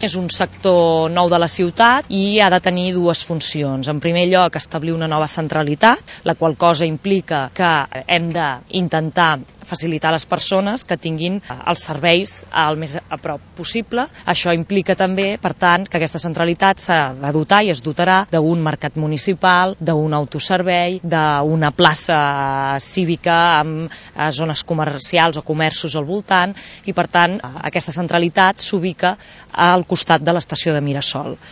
És un sector nou de la ciutat i ha de tenir dues funcions. En primer lloc, establir una nova centralitat, la qual cosa implica que hem d'intentar facilitar a les persones que tinguin els serveis el més a prop possible. Això implica també, per tant, que aquesta centralitat s'ha de dotar i es dotarà d'un mercat municipal, d'un autoservei, d'una plaça cívica amb zones comercials o comerços al voltant i, per tant, aquesta centralitat s'ubica al costat de l'estació de Mirasol.